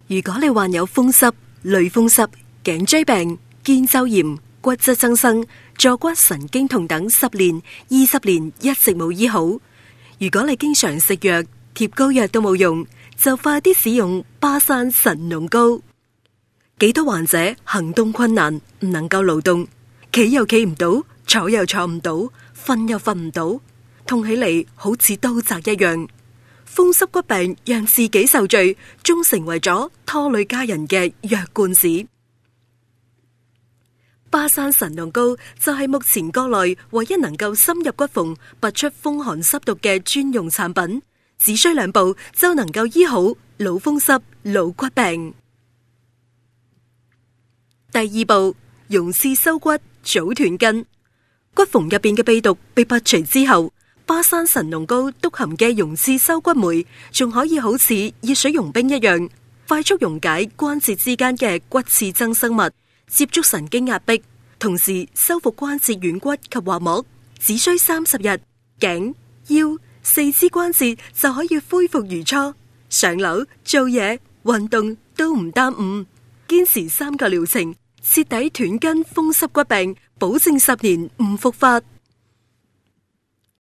如果你患有風濕、類風濕、頸椎病、肩周炎、骨質增生、坐骨神經痛等10年、20年一直冇醫好，如果你經常食藥、貼膏藥都冇用，就快啲使用巴山神農膏。幾多患者行動困難，唔能夠勞動，企又企唔到，坐又坐唔到，瞓又瞓唔到，痛起嚟好似刀扎一樣。風濕骨病讓自己受罪，終成為咗拖累家人嘅藥罐子。巴山神農膏就係目前國內唯一能夠深入骨縫、拔出風寒濕毒嘅專用產品，只需2步就能夠醫好老風濕、老骨病。第2步，溶刺收骨，早斷筋。骨縫入邊嘅秘毒被拔除之後，巴山神農膏督含嘅溶刺收骨酶，仲可以好似熱水溶冰一樣，快速溶解關節之間嘅骨刺增生物，接觸神經壓迫，同時修復關節軟骨及滑膜，只需30日，頸、腰、四肢關節就可以恢復如初，上樓、做嘢、運動都唔耽誤。堅持3個療程，徹底斷筋風濕骨病，保證10年唔復發。